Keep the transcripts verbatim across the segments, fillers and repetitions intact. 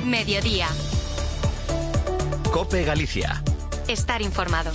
Mediodía. COPE Galicia. Estar informado.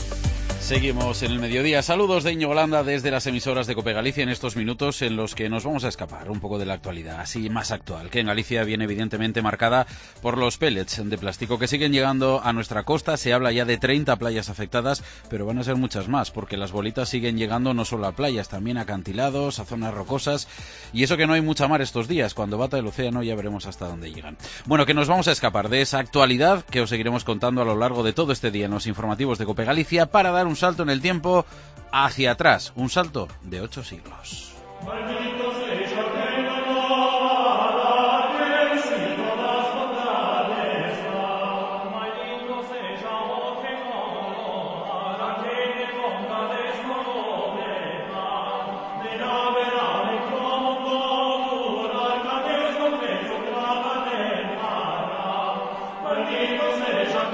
Seguimos en el mediodía. Saludos de Íñigo Landa desde las emisoras de COPE Galicia en estos minutos en los que nos vamos a escapar un poco de la actualidad, así más actual, que en Galicia viene evidentemente marcada por los pellets de plástico que siguen llegando a nuestra costa. Se habla ya de treinta playas afectadas, pero van a ser muchas más, porque las bolitas siguen llegando no solo a playas, también a acantilados, a zonas rocosas, y eso que no hay mucha mar estos días. Cuando bata el océano ya veremos hasta dónde llegan. Bueno, que nos vamos a escapar de esa actualidad que os seguiremos contando a lo largo de todo este día en los informativos de COPE Galicia para dar un salto en el tiempo hacia atrás, un salto de ocho siglos.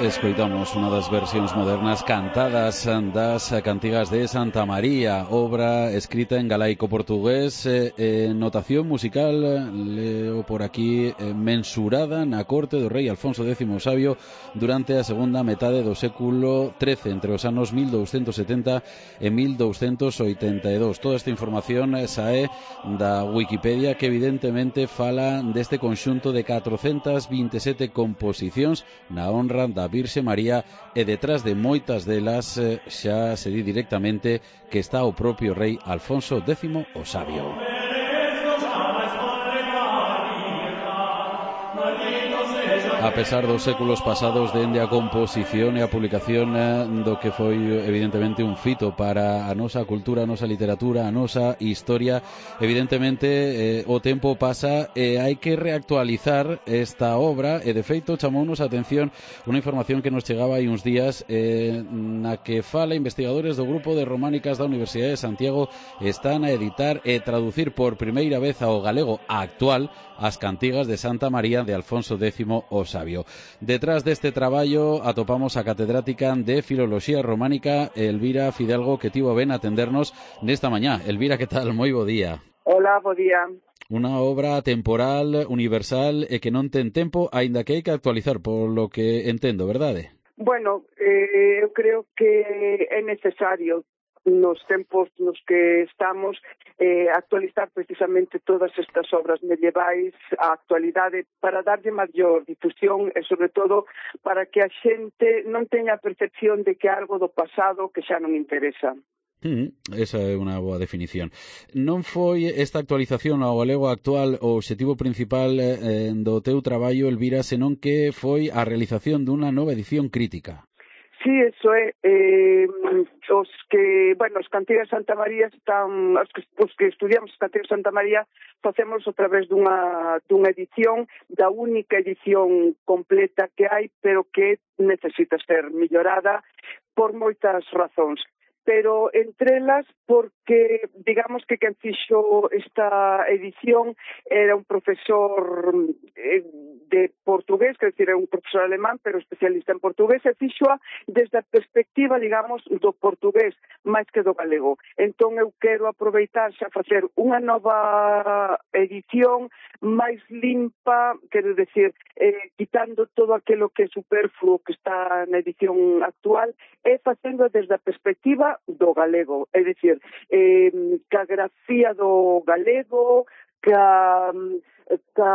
Escoitamos unha das versións modernas cantadas das cantigas de Santa María, obra escrita en galaico-portugués, eh, eh, notación musical, leo por aquí, eh, mensurada na corte do rei Alfonso décimo o Sabio durante a segunda metade do século trece, entre os anos mil douscentos setenta e mil douscentos oitenta e dous. Toda esta información sae da Wikipedia, que evidentemente fala deste conxunto de catrocentas vinte e sete composicións na honra da Virxe María, e detrás de moitas delas eh, xa se di directamente que está o propio rei Alfonso décimo o Sabio. A pesar dos séculos pasados dende a composición e a publicación do que foi evidentemente un fito para a nosa cultura, a nosa literatura, a nosa historia, evidentemente eh, o tempo pasa e hai que reactualizar esta obra, e de feito chamounos a atención unha información que nos chegaba hai uns días eh, na que fala investigadores do grupo de románicas da Universidade de Santiago están a editar e traducir por primeira vez ao galego actual as cantigas de Santa María de Alfonso décimo o Sabio. Detrás deste traballo atopamos a catedrática de Filoloxía Románica Elvira Fidalgo, que tivo ben atendernos nesta mañá. Elvira, que tal? Moi bo día. Hola, bo día. Unha obra temporal, universal e que non ten tempo, aínda que hai que actualizar, por lo que entendo, verdade? Bueno, eh, eu creo que é necesario nos tempos nos que estamos eh, actualizar precisamente todas estas obras medievais á actualidade para darlle maior difusión e, sobre todo, para que a xente non teña a percepción de que algo do pasado que xa non interesa. Mm, esa é unha boa definición. Non foi esta actualización ao galego actual o obxectivo principal eh, do teu traballo, Elvira, senón que foi a realización dunha nova edición crítica. Sí, eso é. Eh, os que, bueno, os cantigas Santa María están, os que, os que estudiamos os cantigas Santa María facemos a través dunha, dunha edición, da única edición completa que hai, pero que necesita ser mellorada por moitas razóns. Pero entre elas porque, digamos que quen fixo esta edición era un profesor eh, de portugués, quer dizer, era un profesor alemán, pero especialista en portugués, e fixoa desde a perspectiva, digamos, do portugués, máis que do galego. Entón eu quero aproveitar xa facer unha nova edición máis limpa, quero decir, eh, quitando todo aquilo que é superfluo que está na edición actual, e facendo desde a perspectiva do galego, é dicir, eh, ca grafía do galego, ca, ca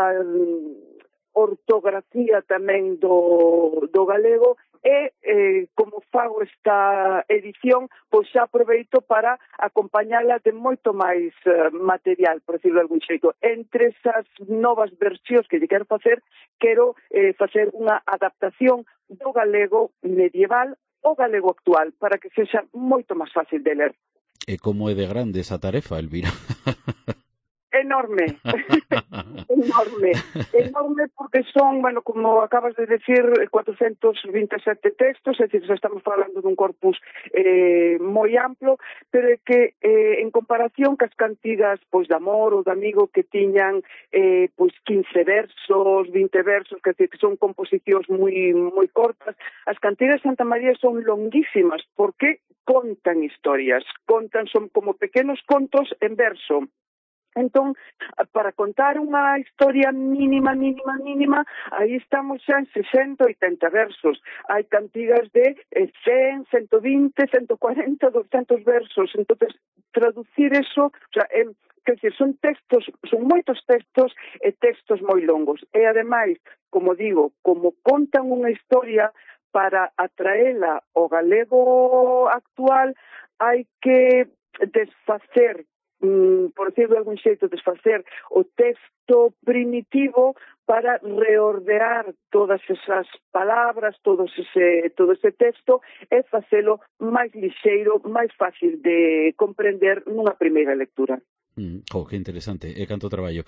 ortografía tamén do, do galego, e eh, como fago esta edición, pois xa aproveito para acompañala de moito máis eh, material, por decirlo de algún xeito. Entre esas novas versións que lle quero facer, quero eh, facer unha adaptación do galego medieval o galego actual, para que sexa moito máis fácil de ler. E como é de grande esa tarefa, Elvira? Enorme, enorme, enorme porque son, bueno, como acabas de decir, cuatrocentos vinte e sete textos, é dicir, estamos falando dun corpus eh, moi amplo, pero é que eh, en comparación cas cantigas pois de amor ou de amigo que tiñan eh, pois quince versos, vinte versos, que, que son composicións moi moi cortas, as cantigas de Santa María son longuísimas porque contan historias, contan, son como pequenos contos en verso. Entón, para contar unha historia mínima, mínima, mínima, aí estamos xa en sesenta, oitenta versos. Hai cantigas de cen, ciento vinte, ciento cuarenta, doscientos versos. Entón, traducir eso, o sea, eh, quer dizer, son textos, son moitos textos e textos moi longos. E, ademais, como digo, como contan unha historia, para atraela ao galego actual, hai que desfacer, por decirlo de algún xeito, desfacer o texto primitivo para reordear todas esas palabras, todo ese, todo ese texto e facelo máis lixeiro, máis fácil de comprender nunha primeira lectura. Mm, oh, que interesante, e canto traballo.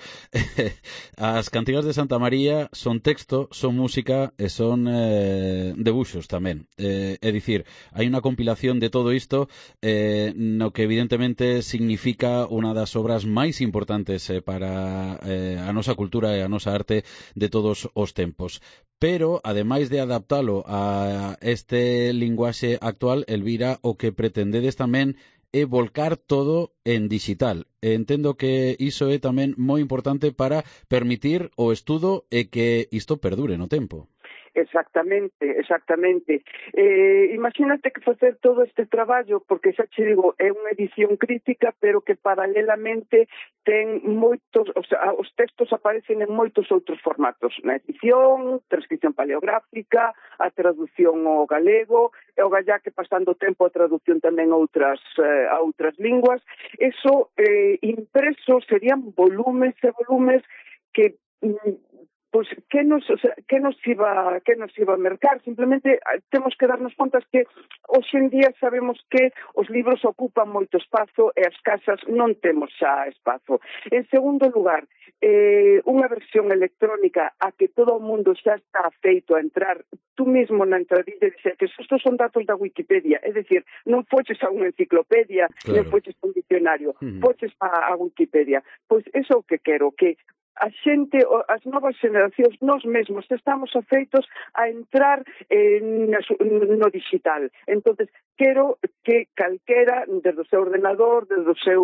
As cantigas de Santa María son texto, son música e son eh, debuxos tamén. Eh, é dicir, hai unha compilación de todo isto eh, no que evidentemente significa unha das obras máis importantes eh, para eh, a nosa cultura e a nosa arte de todos os tempos. Pero, ademais de adaptalo a este linguaxe actual, Elvira, o que pretendedes tamén é volcar todo en digital. Entendo que iso é tamén moi importante para permitir o estudo e que isto perdure no tempo. Exactamente, exactamente. Eh, imagínate que facer todo este traballo, porque xa che digo, é unha edición crítica, pero que paralelamente ten moitos, o sea, os textos aparecen en moitos outros formatos, na edición, transcripción paleográfica, a traducción ao galego, e o gallá que pasando o tempo a traducción tamén a outras, eh, a outras linguas. Eso, eh, impreso, serían volumes e volumes que... Mm, pois que nos, o sea, que nos iba que nos iba a mercar. Simplemente temos que darnos contas que hoxe en día sabemos que os libros ocupan moito espazo e as casas non temos xa espazo. En segundo lugar, eh, unha versión electrónica a que todo o mundo xa está feito a entrar tú mesmo na entradilla e dices que estos son datos da Wikipedia, é dicir, non foches a unha enciclopedia, claro, non foches a un diccionario, uh-huh. foches a, a Wikipedia. Pois eso é o que quero, que a xente, as novas generacións, nós mesmos estamos afeitos a entrar eh, no digital. Entonces, quero que calquera, desde o seu ordenador, desde o seu,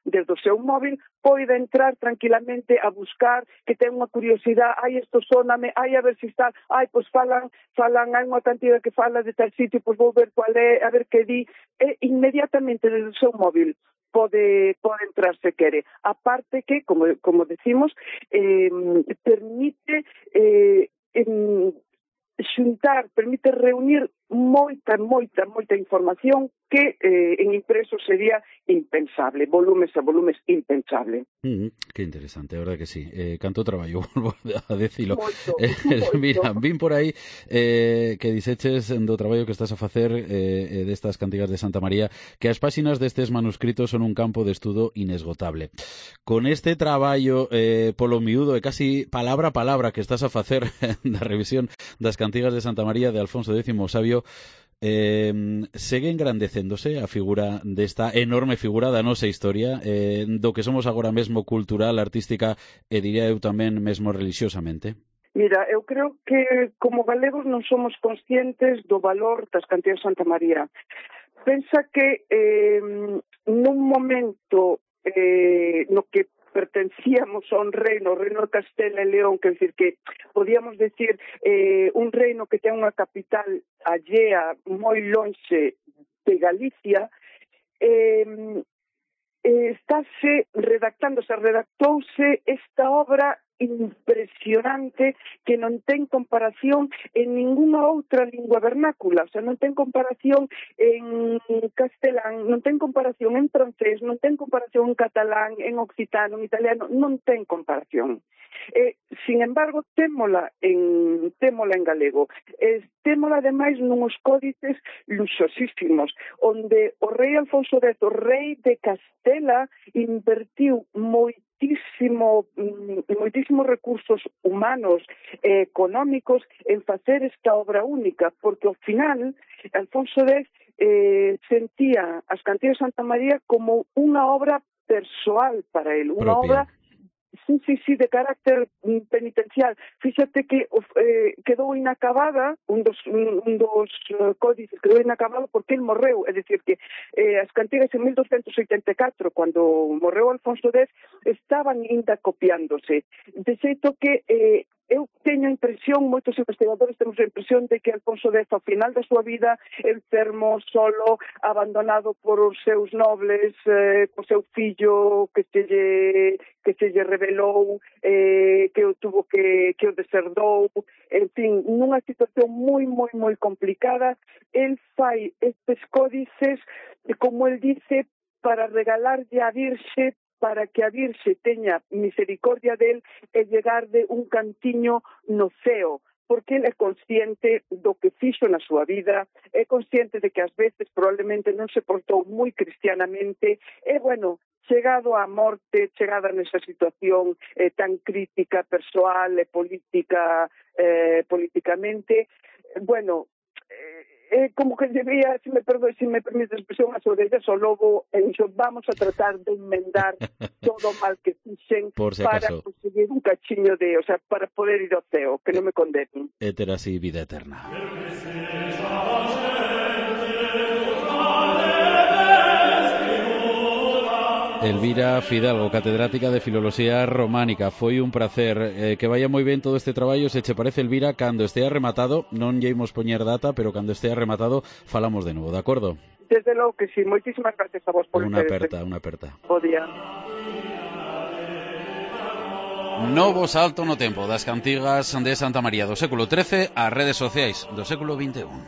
desde o seu móvil, poida entrar tranquilamente a buscar, que ten unha curiosidade, ai, isto sóname, ai, a ver se está, ai, pois falan, falan, hai unha cantidad que fala de tal sitio, pois vou ver cual é, a ver que di, e inmediatamente desde o seu móvil pode, pode entrar se quere. A parte que, como, como decimos, eh, permite eh, en, xuntar, permite reunir moita, moita, moita información que eh, en impreso sería impensable, volumes a volumes impensable. Mm, que interesante, a verdade que sí. Eh, canto traballo, volvo a decilo. Moito, Eh, moito. mira, vin por aí eh, que dixeches do traballo que estás a facer eh, destas cantigas de Santa María que as páxinas destes manuscritos son un campo de estudo inesgotable. Con este traballo eh, polo miúdo e casi palabra a palabra que estás a facer da revisión das cantigas de Santa María de Alfonso X o Sabio, Eh, segue engrandecéndose a figura desta enorme figura da nosa historia, eh, do que somos agora mesmo cultural, artística e diría eu tamén mesmo religiosamente? Mira, eu creo que como galegos non somos conscientes do valor das cantigas de Santa María. Pensa que eh, nun momento eh, no que pertencíamos a un reino, o reino de Castela e León, que decir que podíamos decir eh, un reino que ten unha capital allea moi lonxe de Galicia, eh, eh, estáse redactando, se redactouse esta obra impresionante que non ten comparación en ninguna outra lingua vernácula, o sea, non ten comparación en castelán, non ten comparación en francés, non ten comparación en catalán, en occitano, en italiano, non ten comparación. Eh, sin embargo, témola en, témola en galego. Eh, témola, ademais, nuns códices luxosísimos, onde o rei Alfonso X, o rei de Castela, invertiu moitísimo, moitísimos recursos humanos e económicos en facer esta obra única, porque ao final Alfonso X eh, sentía as cantigas de Santa María como unha obra persoal para él, unha obra Sí, sí, sí, de carácter penitencial. Fíxate que eh, quedou inacabada, un dos, un, un dos uh, códices quedou inacabado porque el morreu, é dicir que eh, as cantigas en mil douscentos oitenta e catro, cando morreu Alfonso X, estaban ainda copiándose. De xeito que eh, eu teño a impresión, moitos investigadores temos a impresión de que Alfonso X, ao final da súa vida, enfermo, solo, abandonado por os seus nobles, eh, por seu fillo que se lle, que se lle revelou, eh, que o tuvo que, que o deserdou, en fin, nunha situación moi, moi, moi complicada. El fai estes códices, como el dice, para regalarlle a Virxe, para que a Virxe teña misericordia del e llegarde un cantiño no ceo, porque ele é consciente do que fixo na súa vida, é consciente de que ás veces probablemente non se portou moi cristianamente, e, bueno, chegado á morte, chegada nesa situación eh, tan crítica, persoal e política, eh, políticamente, bueno, eh, é como que debía, se me perdoe, se me permite a expresión, as orellas ao lobo, e dixo, vamos a tratar de enmendar todo o mal que fixen si para conseguir un cachiño de, o sea, para poder ir ao ceo, que non me condenen. Éter así, vida eterna. Elvira Fidalgo, catedrática de Filoloxía Románica. Foi un placer. Eh, que vaya moi ben todo este traballo. Se che parece, Elvira, cando estea rematado, non lle imos poñer data, pero cando estea rematado falamos de novo, de acordo? Desde logo que sí. Moitísimas gracias a vos por Unha aperta, unha aperta. Bo día. Novo salto no tempo das cantigas de Santa María do século trece ás redes sociais do século vinte e un.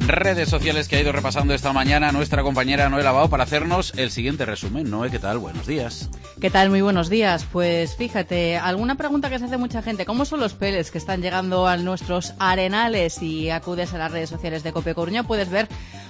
Redes sociales que ha ido repasando esta mañana nuestra compañera Noé Lavao para hacernos el siguiente resumen. Noé, ¿qué tal? Buenos días. ¿Qué tal? Muy buenos días. Pues fíjate, alguna pregunta que se hace mucha gente. ¿Cómo son los pellets que están llegando a nuestros arenales? Si acudes a las redes sociales de Cope Coruña puedes ver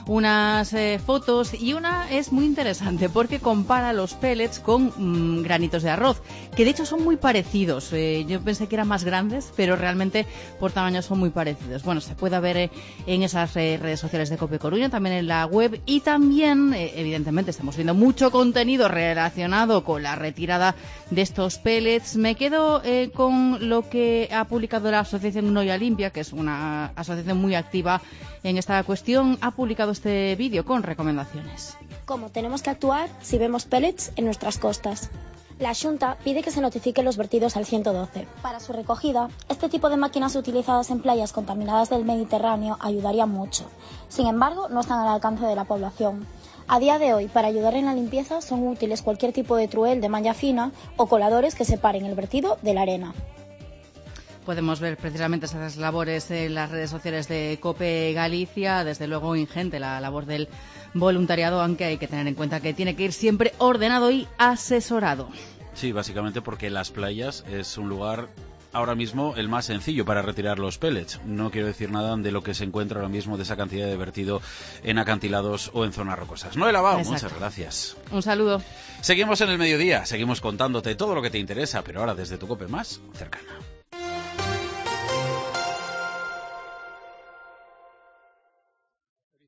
unas eh, fotos, y una es muy interesante porque compara los pellets con mmm, granitos de arroz, que de hecho son muy parecidos. Eh, yo pensé que eran más grandes, pero realmente por tamaño son muy parecidos. Bueno, se puede ver eh, en esas eh, redes sociales de Cope Coruña, también en la web, y también, eh, evidentemente, estamos viendo mucho contenido relacionado con la retirada de estos pellets. Me quedo eh, con lo que ha publicado la Asociación Noia Limpia, que es una asociación muy activa en esta cuestión. Ha publicado este vídeo con recomendaciones. ¿Cómo tenemos que actuar si vemos pellets en nuestras costas? La Xunta pide que se notifiquen los vertidos al ciento doce. Para su recogida, este tipo de máquinas utilizadas en playas contaminadas del Mediterráneo ayudaría mucho. Sin embargo, no están al alcance de la población. A día de hoy, para ayudar en la limpieza, son útiles cualquier tipo de truel de malla fina o coladores que separen el vertido de la arena. Podemos ver precisamente esas labores en las redes sociales de Cope Galicia. Desde luego ingente la labor del voluntariado, aunque hay que tener en cuenta que tiene que ir siempre ordenado y asesorado. Sí, básicamente porque las playas es un lugar ahora mismo el más sencillo para retirar los pellets. No quiero decir nada de lo que se encuentra ahora mismo de esa cantidad de vertido en acantilados o en zonas rocosas. Noé Lavao, muchas gracias. Un saludo. Seguimos en el mediodía, seguimos contándote todo lo que te interesa, pero ahora desde tu Cope más cercana.